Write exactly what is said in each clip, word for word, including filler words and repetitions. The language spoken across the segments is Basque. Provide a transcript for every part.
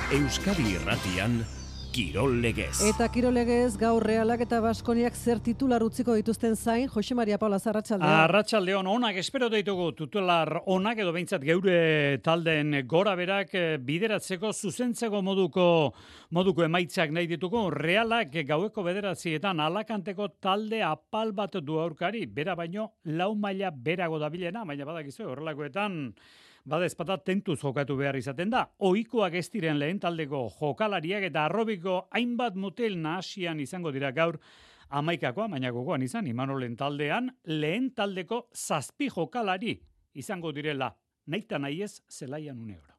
Euskadi Irratian Kirol Legez. Eta Kirol Legez gaur Realak eta Baskoniak zer titular utziko dituzten zain, Jose Maria Paula Arratsaldeon. Arratsaldeon onak espero ditugu titular onak edo behintzat geure taldeen gora berak bideratzeko zuzentzeko moduko moduko emaitzak nahi ditugu. Realak gaueko bederatzietan alakanteko talde apal bat du aurkari, bera baino lau maila berago dabilena, baina badakizu horrelakoetan bada ezpata tentuz jokatu behar izaten da. Ohikoak ez diren lehen taldeko jokalariak eta arrobiko hainbat mutil nahasian izango dira gaur hamaikakoa, baina gogoan izan, Imanolen taldean lehen taldeko zazpi jokalari izango direla, nahita nahi ez zelaian une oro.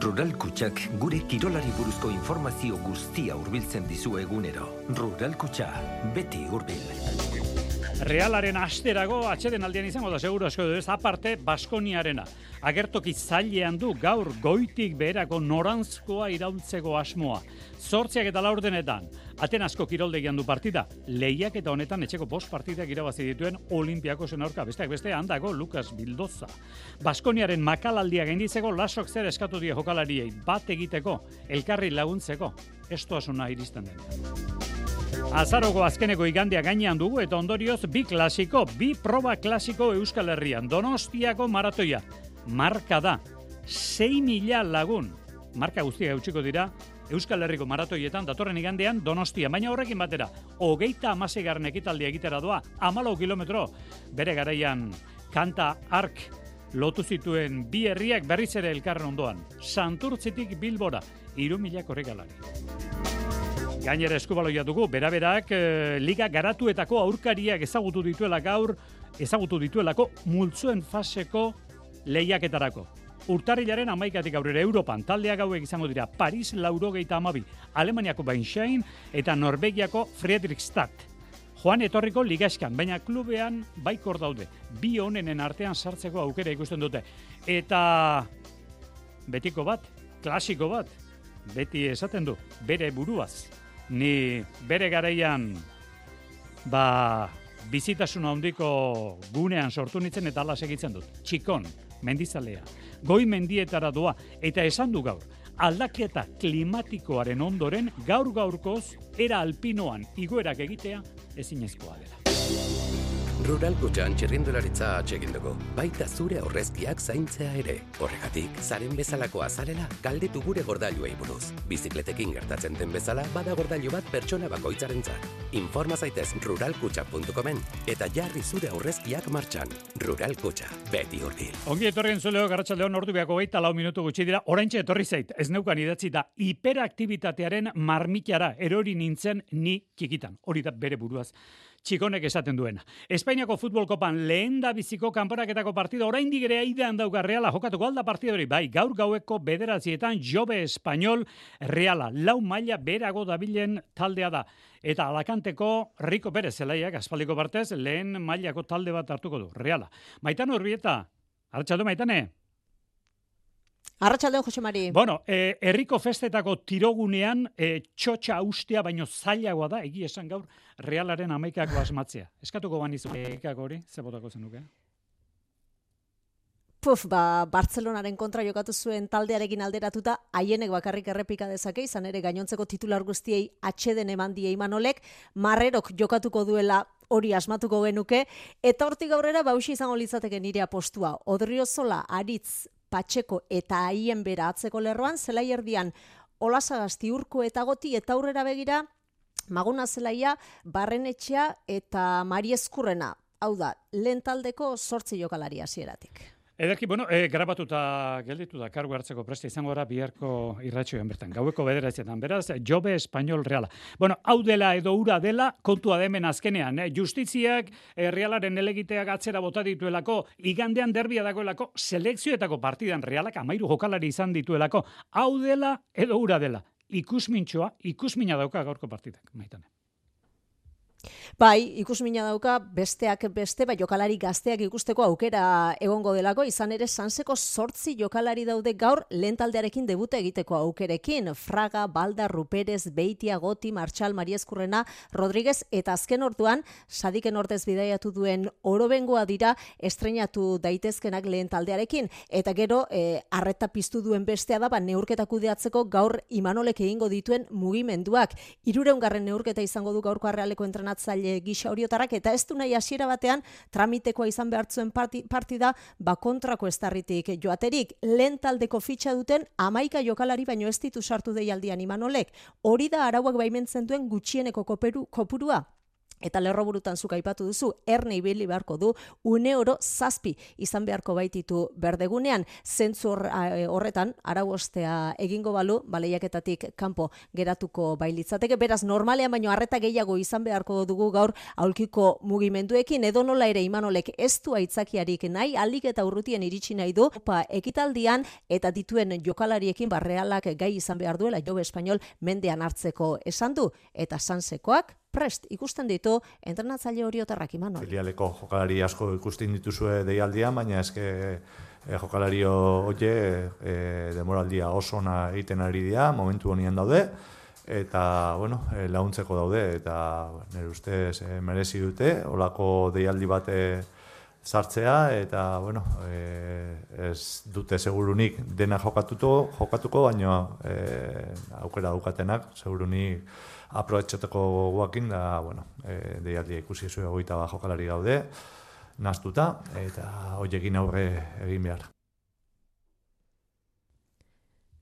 Rural Kutxak gure kirolari buruzko informazio guztia hurbiltzen dizu egunero. Rural Kutxa, beti hurbil. Realaren asterago atxeden aldean izango da seguru asko ez aparte Baskoniarena. Agertoki zailean du gaur goitik beherako norantzkoa iraultzeko asmoa. Zortziak eta laurdenetan Atenasko kiroldegian du partida. Lehiak eta honetan etxeko bost partidak irabazi dituen Olimpiakosen aurka. Besteak beste handago Lucas Bildoza. Baskoniaren makalaldia gainditzeko lasok zer eskatu die jokalariei bat egiteko, elkarri laguntzeko. Estoasuna iristen den. Azaroko azkeneko igandea gainean dugu eta ondorioz bi klasiko, bi proba klasiko Euskal Herrian. Donostiako maratoia. Marka da. sei mila lagun. Marka guztia eutxiko dira Euskal Herriko maratoietan datorren igandean Donostia. Baina horrekin batera, hogeita hamaseigarren ekitaldia egitera doa, hamalau kilometro. Bere garaian kanta ark lotu zituen bi herriak berriz ere elkarren ondoan. Santurtzitik Bilbora, hiru mila korrikalari. Gainera eskubaloia dugu, beraberak e, liga garatuetako aurkariak ezagutu dituela gaur, ezagutu dituelako multzuen faseko lehiaketarako. Urtarrilaren hamaikatik aurrera Europan taldeak hauek izango dira Paris laurogeita hamabi, Alemaniako Bainschein eta Norvegiako Friedrichstadt. Joan etorriko ligaskan, baina klubean baikor daude. Bi honenen artean sartzeko aukera ikusten dute. Eta betiko bat, klasiko bat, beti esaten du, bere buruaz. Ni bere garaian ba, bizitasuna handiko gunean sortu nintzen eta ala segitzen dut. Txikon, mendizalea, goi mendietara doa eta esan du gaur. Aldaketa klimatikoaren ondoren gaur gaurkoz era alpinoan igoerak egitea ezinezkoa dela. Rural Kutxan txirrindularitza atsegin dugu, baita zure aurrezkiak zaintzea ere. Horregatik, zaren bezalakoa zarela, galdetu gure gordailuei buruz. Bizikletekin gertatzen den bezala, bada gordailu bat pertsona bakoitzarentzat. Informa zaitez rural kutxa puntu comen eta jarri zure aurrezkiak martxan. Rural Kutxa, beti hurbil. Ongi etorrien zuleo, garratsaldeon ordu beako geita lau minutu gutxi dira, oraintxe etorri zait, ez neukan idatzi da, hiperaktibitatearen marmitara erori nintzen ni kikitan. Hori da bere buruaz. Txikonek esaten duena. Espainiako futbol kopan lehen da biziko kanporaketako partida oraindik ere aidean dauka Reala jokatuko alda partida hori. Bai, gaur gaueko bederatzietan Jobe Espanyol Reala. Lau maila berago dabilen taldea da. Eta Alakanteko Rico Pérez zelaiak aspaldiko partez lehen mailako talde bat hartuko du. Reala. Maitane Urbieta. Arratsalde Maitane. Arratsaldeon Jose Mari. Bueno, eh, herriko festetako tirogunean eh, txotxa ustea baino zailagoa da, egi esan gaur, Realaren hamaikako asmatzea. Eskatuko banizu hamaikako hori, ze botako zenuke? Puf, ba, Bartzelonaren kontra jokatu zuen taldearekin alderatuta, haienek bakarrik errepika dezake, izan ere gainontzeko titular guztiei atxeden eman die Imanolek, Marrerok jokatuko duela hori asmatuko genuke, eta hortik aurrera bausi izango litzateke nire apostua. Odriozola, Aritz, Patxeko eta haien bera atzeko lerroan, zelai erdian Olasagasti, Urko eta Goti, eta aurrera begira, Maguna zelaia, Barrenetxea eta Mariezkurrena. Hau da, lehen taldeko zortzi jokalari hasieratik. Ederki, bueno, e, grabatuta gelditu da kargu hartzeko preste izango gara biharko irratxoen bertan. Gaueko bederatzetan, beraz, Jobe Espanyol Reala. Bueno, hau dela edo ura dela, kontua demen azkenean. Eh? Justiziak eh, Realaren elegiteak atzera bota dituelako, igandean derbia dagoelako, selekzioetako partidan Realak amairu jokalari izan dituelako. Hau dela edo ura dela. Ikusmintxoa, ikusmina dauka gaurko partidak, Maitane. Bai, ikusmina dauka besteak beste, bai jokalari gazteak ikusteko aukera egongo delako, izan ere Sanseko zortzi jokalari daude gaur lehen taldearekin debuta egiteko aukerekin. Fraga, Balda, Ruperez, Beitia, Goti, Martxal, Mariezkurrena, Rodríguez eta azken orduan Sadiken ordez bidaiatu duen Orobengoa dira estreinatu daitezkenak lehen taldearekin. Eta gero, eh, arreta piztu duen bestea da, ba, neurketa kudeatzeko gaur Imanolek egingo dituen mugimenduak. Hirureungarren neurketa izango du gaurko Errealeko entrenatzaile gisa horiotarrak, eta ez du nahi hasiera batean tramitekoa izan behartzuen partida ba kontrako estarritik joaterik. Lehen taldeko fitxa duten hamaika jokalari baino ez ditu sartu deialdian Imanolek. Hori da arauak baimentzen duen gutxieneko koperu, kopurua. Eta lerroburutan zuk aipatu duzu, erne ibili beharko du, une oro zazpi izan beharko baititu berdegunean. Zentzu horretan, arau ostea egingo balu, baleiaketatik kanpo geratuko bailitzateke. Beraz, normalean baino arreta gehiago izan beharko dugu gaur aulkiko mugimenduekin. Edo nola ere Imanolek ez du aitzakiarik nahi, alik eta urrutien iritsi nahi du, pa, ekitaldian eta dituen jokalariekin barrealak gai izan behar duela Jobe Espainol mendean hartzeko esan du. Eta Sansekoak prest ikusten ditu entrenatzaile horiotarrak Imanol. Filialeko jokalari asko ikusten dituzue deialdian, baina eske e, jokalario hoie e, demoraldia oso ona egiten ari dira, momentu honien daude, eta bueno, e, laguntzeko daude, eta nire ustez e, merezi dute, olako deialdi bate sartzea, eta bueno, e, ez dute segurunik dena jokatuko, jokatuko, baina e, aukera daukatenak segurunik aprobetxateko guakin, da, bueno, e, deialdia ikusi zuen hogeita bat jokalari gaude, naztuta, eta hoiekin aurre egin behar.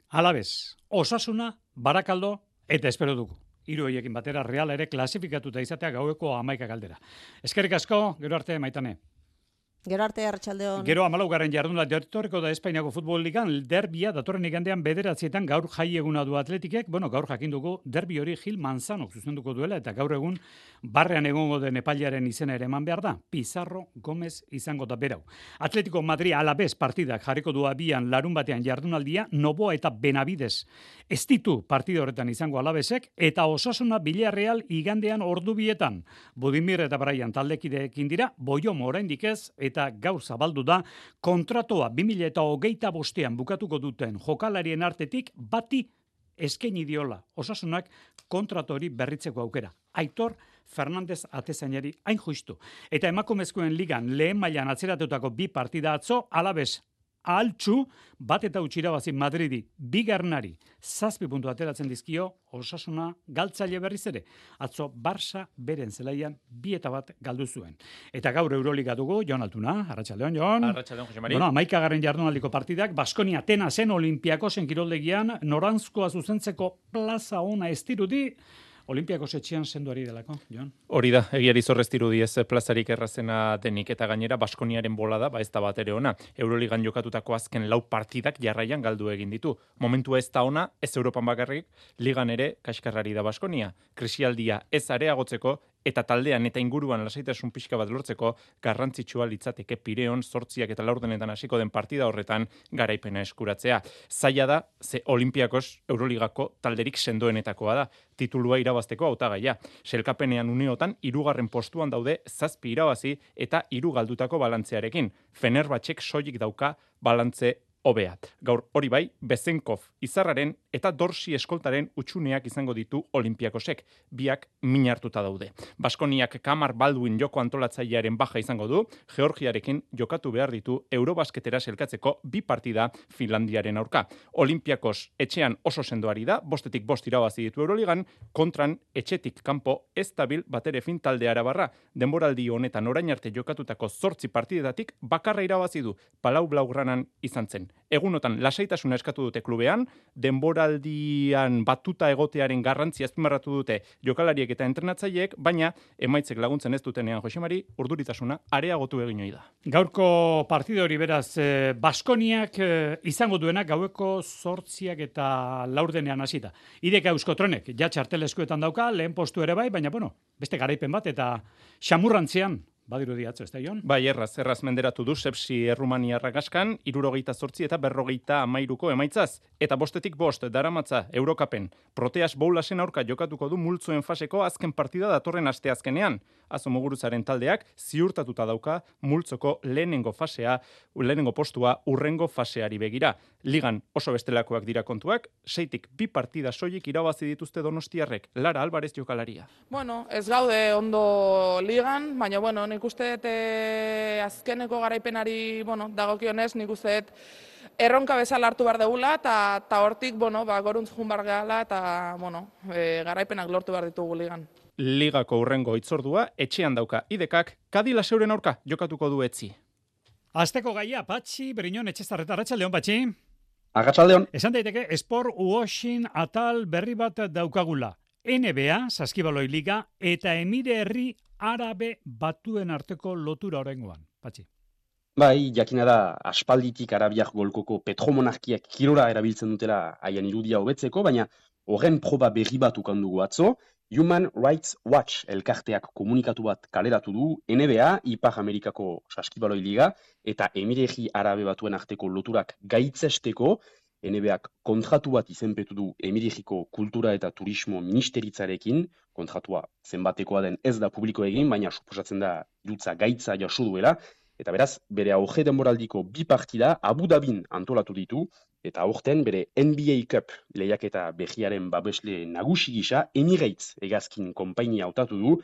Alabez, Osasuna, Barakaldo eta espero dugu. Hiru horiekin batera Real ere klasifikatuta izatea gaueko hamaika galdera. Eskerrik asko, gero arte Maitane. Gero arte, Arratsaldeon. Gero hamalaugarren jardunaldi etorriko da Espainiako futbol ligan, derbia datorren igandean bederatzietan gaur jai eguna du Atletikek, bueno, gaur jakin dugu derbi hori Gil Manzanok zuzenduko duela, eta gaur egun barrean egongo den epailearen izena ere eman behar da, Pizarro Gomez izango da berau. Atletico Madrid Alavés partidak jarriko du abian larun batean jardunaldia, Noboa eta Benavides ez ditu partida horretan izango Alavesek, eta Osasuna Villarreal igandean ordubietan. Budimir eta Braian taldekideekin dira, Boiomo oraindik ez, eta gaur zabaldu da kontratoa bi mila hogeita bostean bukatuko duten jokalarien artetik bati eskaini diola Osasunak kontratu hori berritzeko aukera. Aitor Fernandez atezainari hain justu. Eta emakumezkoen ligan lehen mailan atzeratutako bi partida atzo, Alavés altxu, bat eta utxirabazi Madridi, bigarnari, zazpi puntu ateratzen dizkio, Osasuna galtzaile berriz ere. Atzo Barça beren zelaian bi eta bat galdu zuen. Eta gaur Euroliga dugu, Jon Altuna, Arratsaldeon, Jon. Arratsaldeon, Jose Mari. Bueno, hamaikagarren jardunaldiko partidak, Baskonia Atenasen Olimpiakosen kiroldegian, noranzkoa zuzentzeko plaza ona ez dirudi, Olimpiakos etxean senduari delako, Jon? Hori da, egiari zorrez dirudi ez plazarik errazena denik, eta gainera Baskoniaren bolada, ba ez da bat ere ona. Euroligan jokatutako azken lau partidak jarraian galdu egin ditu. Momentua ez da ona, ez Europan bakarrik, ligan ere kaskarrari da Baskonia. Krisialdia ez areagotzeko, eta taldean eta inguruan lasaitasun pixka bat lortzeko garrantzitsua litzateke Pireon zortziak eta laurdenetan hasiko den partida horretan garaipena eskuratzea. Zaila da, ze Olimpiakos Euroligako talderik sendoenetakoa da, titulua irabazteko hautagaia. Selkapenean uneotan hirugarren postuan daude zazpi irabazi eta hiru galdutako balantzearekin. Fenerbahçek soilik dauka balantze hobea. Gaur hori bai, Bezenkov izarraren eta Dorsi eskoltaren utxuneak izango ditu Olimpiakosek, biak min hartuta daude. Baskoniak Kamar Baldwin joko antolatzailearen baja izango du, Georgiarekin jokatu behar ditu Eurobasketera selkatzeko bi partida Finlandiaren aurka. Olimpiakos etxean oso sendoari da, bostetik bost irabazi ditu Euroligan, kontran etxetik kanpo ez dabil batere fin talde arabarra. Denboraldi honetan orain arte jokatutako zortzi partidetatik bakarra irabazi du, Palau Blaugranan izan zen. Egunotan lasaitasuna eskatu dute klubean, denboraldian batuta egotearen garrantzia azpimarratu dute jokalariek eta entrenatzaileek, baina emaitzek laguntzen ez dutenean Jose Mari, urduritasuna areagotu egin ohi da. Gaurko partida hori beraz, eh, Baskoniak eh, izango duenak gaueko zortziak eta laurdenean hasita. Ideka Euskotronek, ja txarteleskuetan dauka, lehen postu ere bai, baina bueno, beste garaipen bat eta xamurrantzean Badirudi atzo, ez da, Jon? Bai, erraz, erraz menderatu du Sepsi Errumaniarra gaskan, irurogeita zortzi eta berrogeita amairuko emaitzaz. Eta bostetik bost, daramatza, Eurokapen. Proteas Boulasen aurka jokatuko du multzoen faseko azken partida datorren asteazkenean. Azo Muguruzaren taldeak ziurtatuta dauka multzoko lehenengo fasea, lehenengo postua urrengo faseari begira. Ligan oso bestelakoak dira kontuak, seitik bi partida soilik irabazi dituzte Donostiarrek. Lara Alvarez jokalaria. Bueno, ez gaude ondo ligan, baina bueno, nik uste dut e, azkeneko garaipenari, bueno, dagokionez, nik uste dut erronka bezala hartu behar degula, eta hortik, bueno, ba, goruntz jun behar gehala, eta, bueno, e, garaipenak lortu behar ditugu ligan. Ligako urrengo itzordua, etxean dauka idekak, Kadila Seuren aurka jokatuko du etzi. Azteko gaia, Patxi, Briñon, Etxezarreta, Arratsaldeon, Patxi. Arratsaldeon. Esan daiteke, Sport Washing atal berri bat daukagula. N B A, Saskibaloi Liga, eta Emire Herri Arabe Batuen arteko lotura oraingoan, Patxi. Bai, jakina da aspalditik Arabiak golkoko petromonarkiak kirora erabiltzen dutela haien irudia hobetzeko, baina horren proba berri bat ukan dugu atzo, Human Rights Watch elkarteak komunikatu bat kaleratu du N B A, Ipar Amerikako Saskibaloi Liga, eta Emire Herri Arabe Batuen arteko loturak gaitzesteko, N B Ak kontratu bat izenpetu du Emirejiko Kultura eta Turismo Ministeritzarekin, kontratua zenbatekoa den ez da publiko egin, baina suposatzen da irutza gaitza jaso duela, eta beraz, bere auge denboraldiko bi partida Abu Dhabin antolatu ditu, eta aurten bere N B A Cup lehiaketa behiaren babesle nagusi gisa Emirates hegazkin konpainia hautatu du.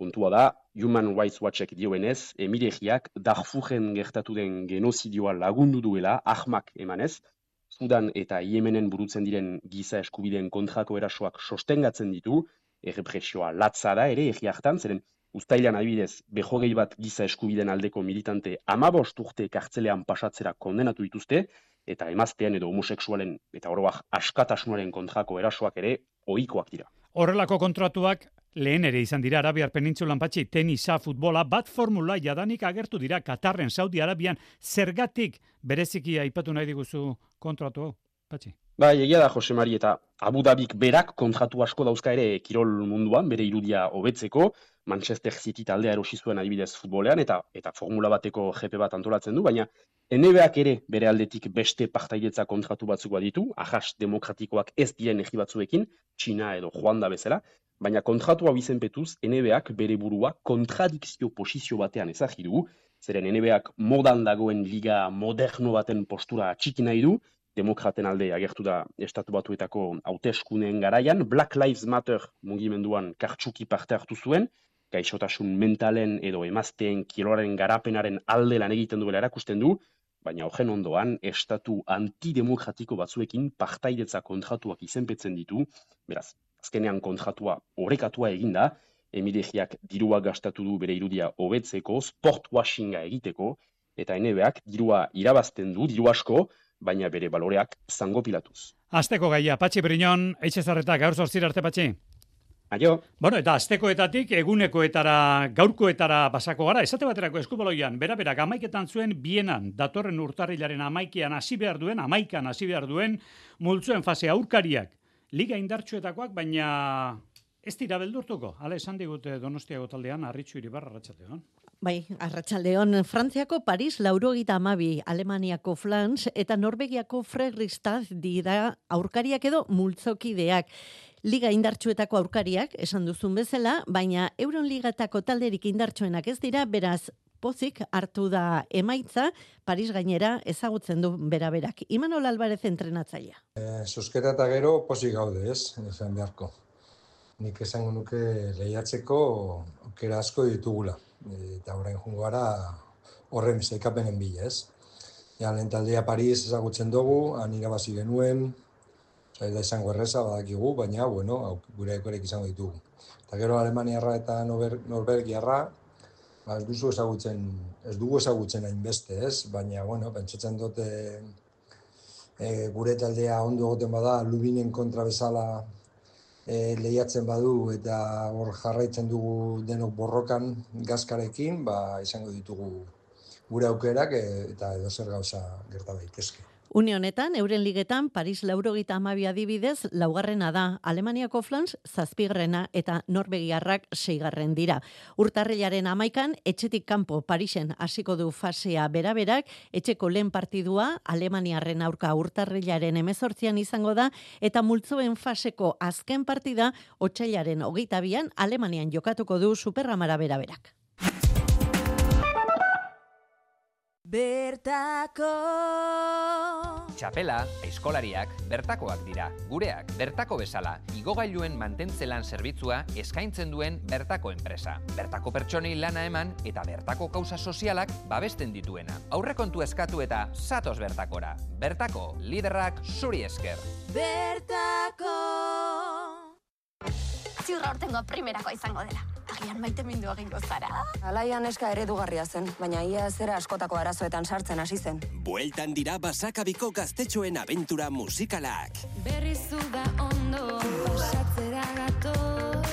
Kontua da, Human Rights Watchek dioenez, Emirejiak Darfuren gertatu den genozidioa lagundu duela, ahmak emanez, Sudan eta Yemenen burutzen diren giza eskubideen kontrako erasoak sostengatzen ditu, errepresioa latza da ere egi hartan, zeren uztailan adibidez, behogei bat giza eskubideen aldeko militante amabost urte kartzelean pasatzera kondenatu dituzte, eta emaztean edo homosexualen eta oroak askatasunaren kontrako erasoak ere ohikoak dira. Horrelako kontratuak lehen ere izan dira Arabiar Penintsulan, Patxi, tenisa, futbola, bat formula jadanik agertu dira Katarren, Saudi Arabian, zergatik bereziki aipatu nahi diguzu kontratu, Patxi? Bai, egia da, Jose Mari, eta Abu Dhabik berak kontratu asko dauzka ere kirol munduan, bere irudia hobetzeko, Manchester City taldea erosi zuen adibidez futbolean, eta eta formula bateko G P bat antolatzen du, baina N B Ak ere bere aldetik beste partailetza kontratu batzuk baditu, ahas demokratikoak ez diren egi batzuekin, Txina edo Ruanda bezala, baina kontratu hau izenpetuz N B Ak bere burua kontradikzio posizio batean ezagri du, zeren N B Ak modan dagoen liga moderno baten postura txiki nahi du, demokraten alde agertu da estatu batuetako hauteskuneen garaian, Black Lives Matter mugimenduan kartsuki parte hartu zuen, gaixotasun mentalen edo emazteen kirolaren garapenaren alde lan egiten duela erakusten du, baina horren ondoan estatu antidemokratiko batzuekin partaidetza kontratuak izenpetzen ditu, beraz, azkenean kontratua orekatua eginda, Emirejiak dirua gastatu du bere irudia hobetzeko, sport washinga egiteko, eta N B Ak dirua irabazten du, diru asko, baina bere baloreak zango pilatuz. Azteko gaia, Patxi Briñon, Etxezarreta, gaur zortzira arte, Patxi. Aio. Bueno, eta aztekoetatik egunekoetara, gaurkoetara pasako gara, esate baterako eskubaloian, bera-bera, amaiketan zuen bienan, datorren urtarrilaren amaikean hasi behar duen, amaikan hasi behar duen, multzuen fase aurkariak, liga indartsuetakoak, baina ez dira beldurtuko. Hala esan digute Donostiako taldean, Arritxu Iribar, Arratsaldeon. Bai, Arratsaldeon, Frantziako Paris laurogeita hamabi, Alemaniako Flans eta Norvegiako Fredrikstad dira aurkariak edo multzokideak. Liga indartsuetako aurkariak, esan duzun bezala, baina Euroligatako talderik indartsuenak ez dira, beraz, pozik hartu da emaitza, Paris gainera ezagutzen du beraberak. Imanol Alvarez entrenatzailea. Eh, Zuzkera eta gero pozik gaude, ez, esan beharko. Nik esango nuke lehiatzeko aukera asko ditugula. Eta orain jungo gara horren sailkapenen bila, ez. Ja, lehen taldea Paris ezagutzen dugu, han irabazi genuen, zaila izango erreza badakigu, baina, bueno, gure ekorek izango ditugu. Eta gero Alemaniarra eta Norvegiarra, ba, ez duzu ezagutzen, ez dugu ezagutzen hainbeste, ez? Baina, bueno, pentsatzen dute e, gure taldea ondo egoten bada, Lubinen kontra bezala e, lehiatzen badu eta hor jarraitzen dugu denok borrokan gazkarekin, ba, izango ditugu gure aukerak eta edo zer gauza gerta daitezke. Une honetan, euren ligetan, Paris laurogeita hamabi adibidez, laugarrena da, Alemaniako Flans zazpigarrena eta Norvegiarrak seigarren dira. Urtarrilaren amaikan, etxetik kanpo Parisen hasiko du fasea beraberak, etxeko lehen partidua Alemaniarren aurka urtarrilaren hemezortzian izango da, eta multzoen faseko azken partida, otsailaren hogeita bian Alemanian jokatuko du Superramara beraberak. Bertako Txapela, eskolariak, bertakoak dira. Gureak, bertako bezala, igogailuen mantentzelan zerbitzua eskaintzen duen bertako enpresa. Bertako pertsonei lana eman eta bertako kausa sozialak babesten dituena. Aurrekontu eskatu eta zatoz bertakora. Bertako, liderrak zuri esker. Bertako Ziurra urtengo primerako izango dela. Agian maite mindu egingo zara. Alaian eska eredugarria zen, baina ia zera askotako arazoetan sartzen hasi zen. Bueltan dira Basakabiko gaztetxoen abentura musikalak. Berrizu da ondo, pasatzera gato.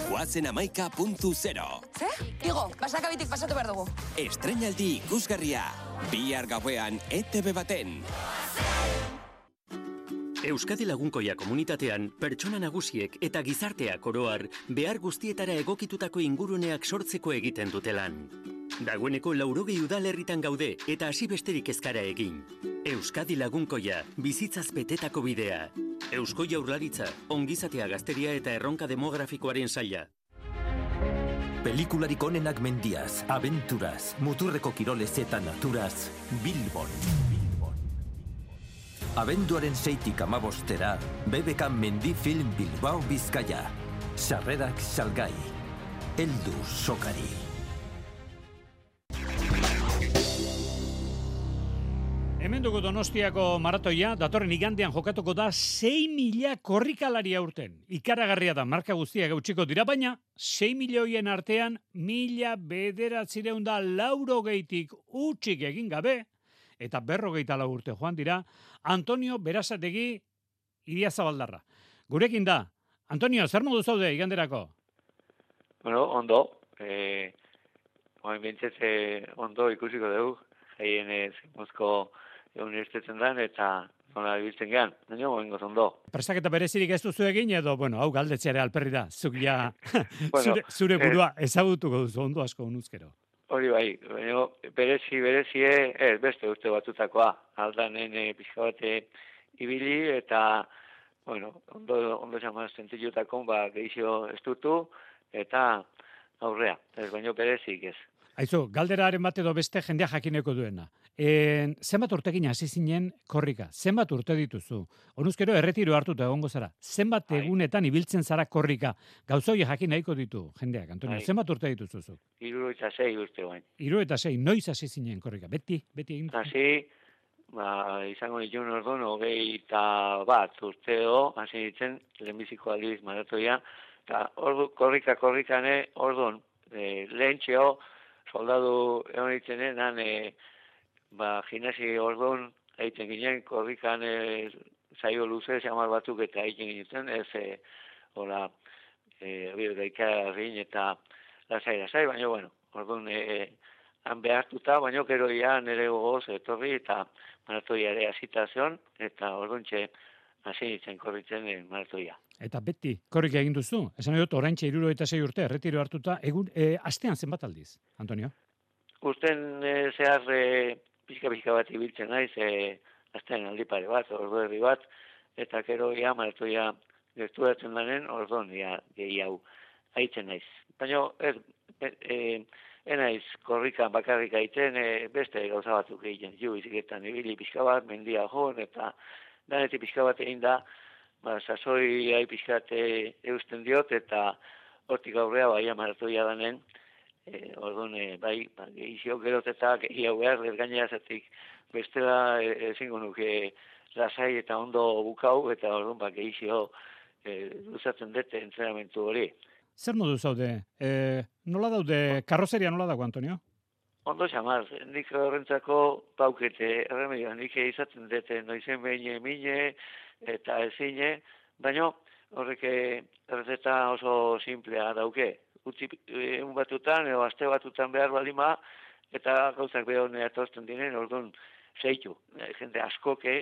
Goazen amaika puntu zero. Ze? Igo, Basakabitik pasatu behar dugu. Estreinaldi ikusgarria. Bihar gauean E T B baten. Euskadi Lagunkoia komunitatean, pertsona nagusiek eta gizarteak oroar behar guztietara egokitutako inguruneak sortzeko egiten dutelan. Dagoeneko laurogei udalerritan gaude eta hasi besterik ezkara egin. Euskadi Lagunkoia, bizitzaz betetako bidea. Eusko Jaurlaritza, ongizatea gazteria eta erronka demografikoaren saila. Pelikularik onenak mendiaz, abenturaz, muturreko kirolez eta naturaz, Bilbon. Abenduaren seitik amabostera, B B K Mendi Film Bilbao Bizkaia. Sarrerak salgai. Heldu sokari. Hemen dugu Donostiako maratoia, datorren igandean jokatuko da sei mila korrikalari aurten. Ikaragarria da, marka guztiak gautsiko dira, baina sei milioien artean mila bederatzireun da laurogeitik utxik egin gabe, eta berrogeita lau urte joan dira, Antonio Berazategi Idiazabaldarra. Gurekin da. Antonio, zer modu zaude iganderako? Bueno, ondo. Eh, Oain bintzez ondo ikusiko dugu. Jaien ez mozko unibertsitetzen dan, eta nola ibiltzen gehan. Baina, oingoz ondo. Prestaketa berezirik ez duzu egin, edo, bueno, hau galdetzeare alperri da. Zuk ja, bueno, zure, zure burua ezagutuko duzu ondo asko unuzkero. Hori bai, baina berezi, berezie, ez, beste uste batutakoa. Aldanen e, pixka bate ibili, eta, bueno, ondo, ondo zamaz zentzilutako, ba, gehizio estutu, eta aurrea. Ez, baina berezik ez. Aizu, galderaren bat edo beste jendea jakineko duena. E, zenbat urtekin hasi zinen korrika? Zenbat urte dituzu? Honuzkero erretiro hartuta egongo zara. Zenbat Ai. egunetan ibiltzen zara korrika? Gauzoi jakin nahiko ditu jendeak, Antonio. Ai. Zenbat urte dituzu? Hiru eta sei urte bain. Hiru eta sei, noiz hasi zinen korrika? Beti, beti egin. Hasi, ba, izango nituen orduan, hogei eta bat urteo, hasi ditzen, lehenbiziko aldiz maratoia, eta ordu, korrika, korrikane, orduan, e, lehen txeo, soldadu egon ditzenen, han, e, ba, gimnasi orduan, egiten ginen, korrikan e, zaio luze, zamar batuk eta egiten ginen, ez, e, hola, e, gaikarin eta lasai, lasai, baina, bueno, orduan, e, han behartuta, baina, kero ia nire gogoz etorri, eta maratoia ere hasita zion, eta orduan txe, hasi nintzen korritzen e, maratoia. Eta beti, korrika egin duzu. Esan dut, oraintxe iruro eta sei urte, erretiro hartuta, egun, e, astean zenbat aldiz, Antonio? Usten e, zehar e, pixka-pixka bat ibiltzen naiz, e, astean aldi pare bat, ordu herri bat, eta kero ia maratoia gerturatzen danen, orduan ia gehi hau haitzen naiz. Baina, ez, e, e, enaiz korrikan bakarrik aiten, e, beste gauza batzuk egiten, ju biziketan ibili pixka bat, mendia joan, eta danetik pixka bat egin da, ba, sasoi hai pixkat eusten diot, eta hortik aurrea bai maratoia danen, e, orduan, e, bai, ba, gehizio gerot eta gehi hau behar, gainera zatik bestela ezingo nuke lasai eta ondo bukau, eta orduan, ba, gehizio e, luzatzen dute entrenamentu hori. Zer modu zaude? E, nola daude, karrozeria nola dago, Antonio? Ondo xamar, nik horrentzako paukete, erremedio, nik izaten dute noizen behin mine, eta ezine, baina horrek errezeta oso simplea dauke. Utzi un batutan, edo aste batutan behar balima, eta gauzak behar honera tozten diren, orduan, zeitu, jende askoke,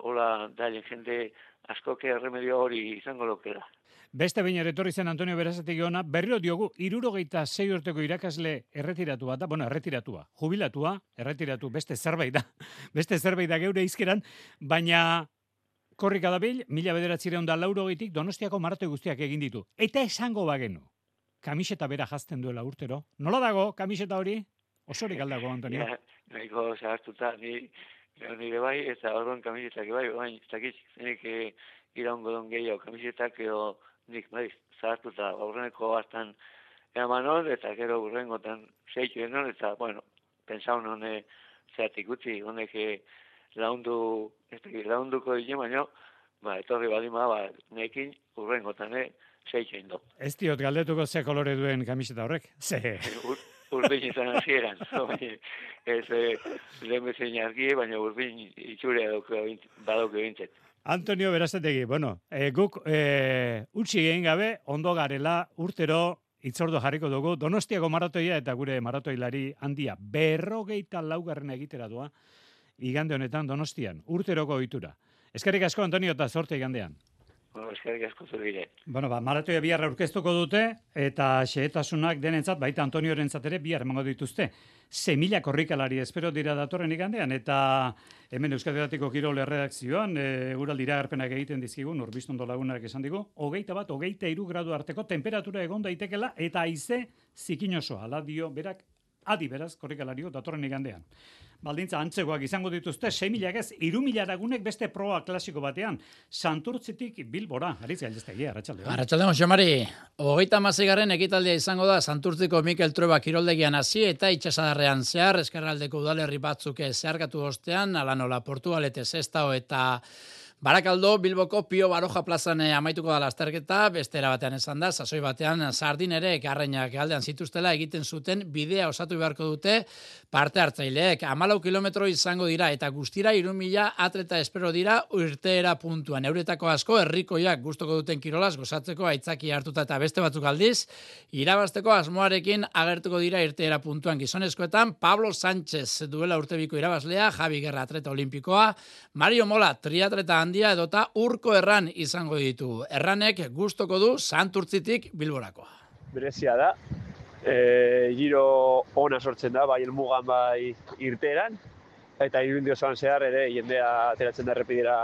hola dailen jende askoke erremedio hori izango lokela. Beste behin ere etorri zen Antonio Berasategui ona, berriro diogu, hirurogeita sei urteko irakasle erretiratua da, bueno, erretiratua, jubilatua, erretiratu, beste zerbait da, beste zerbait da geure izkeran, baina korrika dabil, mila bederatzireun da laurogeitik Donostiako maratoi guztiak egin ditu. Eta esango bagenu, kamiseta bera jazten duela urtero. Nola dago kamiseta hori? Osorik aldago, Antonio? Ja, nahiko zahartuta, ni, nire bai, eta orduan kamisetak bai, baina ez dakit, zenik iraungo don gehiago kamisetak edo nik, bai, zahartuta, aurreneko hartan eman hon, eta gero urrengotan zeitu enon, eta, bueno, pensaun hone zeatik utzi, honek laundu, ez dakit, launduko dine, baina, ba, etorri badima, ba, nekin urrengotan, eh, zeitu endo. Ez diot galdetuko ze kolore duen kamiseta horrek? Ze... Urdin izan hasieran, ez lehen bezein argie, baina urdin itxure badauke bintzet. Antonio Berasategui, bueno, e, guk e, utzi egin gabe, ondo garela urtero itzordo jarriko dugu, Donostiako maratoia eta gure maratoilari handia, berrogeita laugarren egitera doa, igande honetan Donostian, urteroko ohitura. Eskerrik asko, Antonio, eta zorte igandean. Bueno, eskerrik asko zure. Bueno, ba, maratoia bihar aurkeztuko dute, eta xehetasunak denentzat, baita Antoniorentzat ere bihar emango dituzte. Ze mila korrikalari espero dira datorren igandean, eta hemen Euskal Herriatiko Kirol erredakzioan, e, guraldi iragarpenak egiten dizkigu, Nurbistondo lagunak esan digu, hogeita bat, hogeita hiru gradu arteko temperatura egon daitekela, eta haize zikin osoa, ala dio berak, adi beraz, korrikalario datorren igandean. Baldintza antzegoak izango dituzte, sei milak ez, hiru mila lagunek beste proa klasiko batean, Santurtzitik Bilbora, Aritz Galdestegi, arratsaldeon. Arratsaldeon, Xomari, hogeita hamaseigarren ekitaldia izango da Santurtziko Mikel Trueba kiroldegian hasi eta itsasadarrean zehar, eskerraldeko udalerri batzuk zeharkatu ostean, ala nola Portugalete, Sestao eta Barakaldo, Bilboko Pio Baroja plazan amaituko da lasterketa, bestera batean esan da, sasoi batean sardin ere garrainak aldean zituztela egiten zuten bidea osatu beharko dute parte hartzaileek. Hamalau kilometro izango dira eta guztira hiru mila atleta espero dira irteera puntuan. Euretako asko herrikoiak gustoko duten kirolaz gozatzeko aitzaki hartuta eta beste batzuk aldiz, irabazteko asmoarekin agertuko dira irteera puntuan. Gizonezkoetan Pablo Sánchez duela urtebiko irabazlea, Javi Guerra atleta olimpikoa, Mario Mola triatleta handia edota Urko Erran izango ditu. Erranek gustoko du Santurtzitik Bilborakoa. Berezia da, e, giro ona sortzen da, bai helmugan bai irteeran, eta irundi osoan zehar ere jendea ateratzen da errepidera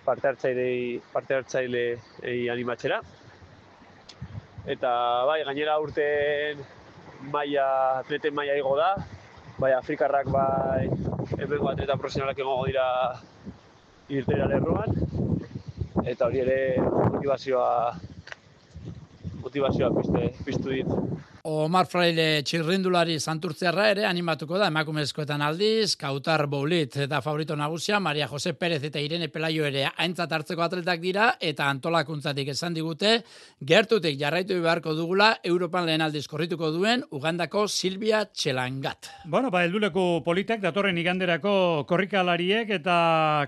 parte hartzailei parte hartzailei animatzera. Eta bai, gainera urten maila, atleten maila igo da, bai Afrikarrak bai hemengo atleta profesionalak egongo dira irteera lerroan, eta hori ere motivazioa motivazioa pizte, piztu dit. Omar Fraile txirrindulari santurtziarra ere animatuko da emakumezkoetan aldiz, Kautar Boulit eta favorito nagusia, Maria Jose Perez eta Irene Pelayo ere aintzat hartzeko atletak dira, eta antolakuntzatik esan digute, gertutik jarraitu beharko dugula, Europan lehen aldiz korrituko duen, Ugandako Silvia Txelangat. Bueno, ba, helduleku politak datorren iganderako korrikalariek eta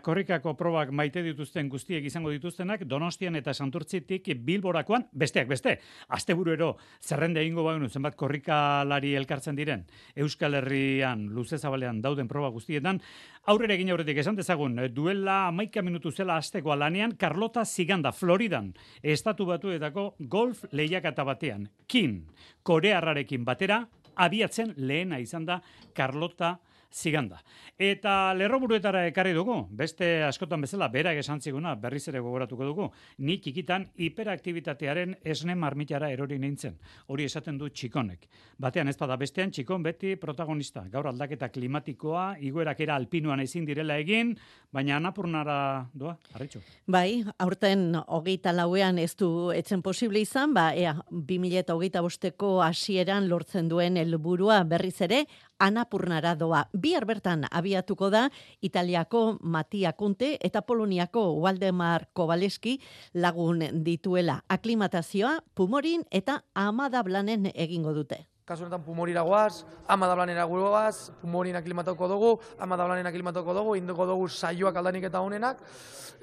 korrikako probak maite dituzten guztiek izango dituztenak, Donostian eta Santurtzitik Bilborakoan, besteak beste, asteburuero zerrende egingo bagenu zenbat korrikalari elkartzen diren Euskal Herrian luze zabalean dauden proba guztietan, aurrera egin aurretik esan dezagun, duela hamaika minutu zela hasteko lanean Carlota Ziganda, Floridan, estatu batuetako golf lehiaketa batean. Kin, korearrarekin batera, abiatzen lehena izan da Carlota Ziganda. Eta lerroburuetara ekarri dugu, beste askotan bezala berak esan ziguna berriz ere gogoratuko dugu, ni txikitan hiperaktibitatearen esne marmitara erori nintzen. Hori esaten du txikonek. Batean ez bada bestean txikon beti protagonista. Gaur aldaketa klimatikoa, igoerak era alpinuan ezin direla egin, baina Anapurnara doa, Arritxu. Bai, aurten hogeita lauean ez du etzen posible izan, ba, ea, bi mila hogeita bosteko hasieran lortzen duen helburua berriz ere, Anapurnara doa. Bihar bertan abiatuko da Italiako Mattia Conte eta Poloniako Waldemar Kowaleski lagun dituela. Aklimatazioa Pumorin eta Amadablanen egingo dute. kasu honetan Pumorira goaz, ama dablanera goaz, Pumorin aklimatatuko dugu, ama dablanen aklimatatuko dugu, induko dugu saioak aldanik eta honenak,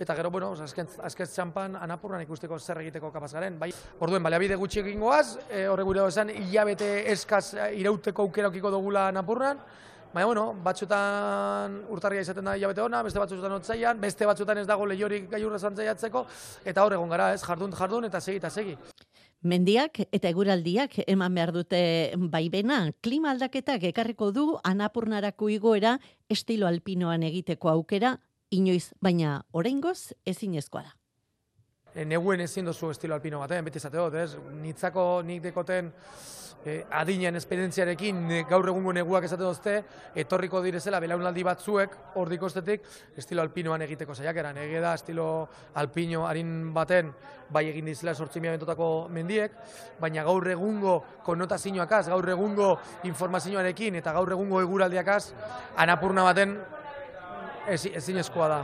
eta gero, bueno, azken, azken txampan Anapurnan ikusteko zer egiteko kapaz garen. Bai, orduen, baliabide gutxi egin goaz, e, horre gure esan, hilabete eskaz irauteko aukera okiko dugula Anapurnan, baina, bueno, batzutan urtarria izaten da hilabete ona, beste batzutan otzaian, beste batzutan ez dago lehiorik gailurra zantzaiatzeko, eta hor egon gara, ez, jardun, jardun, eta segi, eta segi. Mendiak eta eguraldiak eman behar dute baimena, klima aldaketak ekarriko du Anapurnarako igoera estilo alpinoan egiteko aukera, inoiz, baina oraingoz ezinezkoa da. Neguen ezin dozu estilo alpino batean, beti esate dut, ez? Nitzako nik dekoten eh, adinen esperientziarekin gaur egungo neguak esate dozte, etorriko direzela belaunaldi batzuek hor dikostetik estilo alpinoan egiteko saiakeran. Ege da estilo alpino harin baten bai egin dizela sortzi mila bentotako mendiek, baina gaur egungo konnotazioakaz, gaur egungo informazioarekin eta gaur egungo eguraldiakaz, Anapurna baten ezinezkoa da.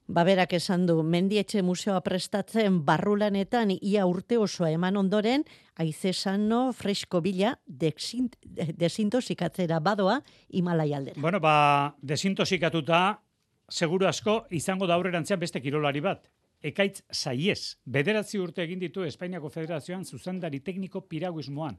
Baberak esan du, Mendietxe museoa prestatzen barrulanetan ia urte osoa eman ondoren, haize sano fresko bila desintosikatzera badoa Himalai aldera. Bueno, ba, desintosikatuta, seguru asko, izango da aurrerantzean beste kirolari bat. Ekaitz Saiez, bederatzi urte egin ditu Espainiako Federazioan zuzendari tekniko piraguismoan.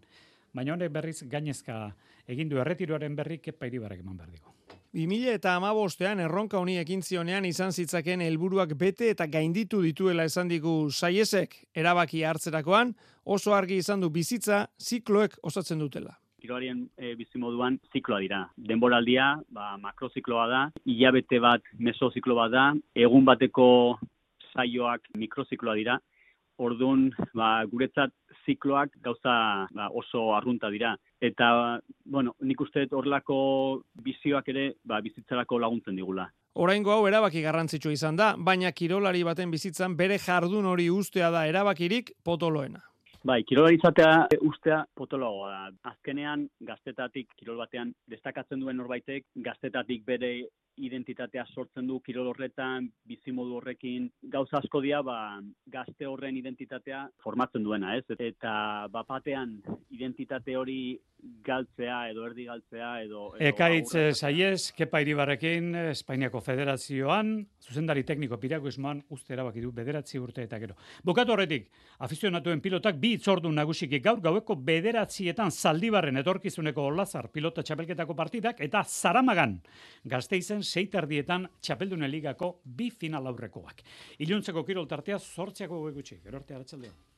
Baina honek berriz gainezka egin du erretiroaren berri Kepa Iribarrek eman behar digu. bi mila hamabostean erronka honi ekin zionean izan zitzaken helburuak bete eta gainditu dituela esan digu Saiezek, erabaki hartzerakoan oso argi izan du bizitza zikloek osatzen dutela. Kirolarien e, bizimoduan zikloa dira. Denboraldia, ba, makrozikloa da, hilabete bat mesoziklo bat da, egun bateko saioak mikrozikloa dira. Orduan, ba, guretzat zikloak gauza ba, oso arrunta dira. Eta, bueno, nik uste horrelako bizioak ere ba, bizitzarako laguntzen digula. Oraingo hau erabaki garrantzitsua izan da, baina kirolari baten bizitzan bere jardun hori ustea da erabakirik potoloena. Bai, kirolari izatea ustea potoloagoa da. Azkenean, gaztetatik kirol batean destakatzen duen norbaitek, gaztetatik bere identitatea sortzen du kirol horretan, bizimodu horrekin, gauza asko dira, ba, gazte horren identitatea formatzen duena, ez? Eta bapatean identitate hori galtzea edo erdi galtzea edo... edo Ekaitz Saiez, Kepa Iribarrekin, Espainiako Federazioan, zuzendari tekniko piraguismoan uste erabaki du bederatzi urte eta gero. Bukatu horretik, afizionatuen pilotak bi itzordu nagusiki gaur gaueko bederatzietan Zaldibarren etorkizuneko Olazar pilota txapelketako partidak eta Zaramagan Gasteizen seiterdietan txapeldunen ligako bi final aurrekoak. Iluntzeko kirol tartea zortziako gutxi, gero arte arratsaldean.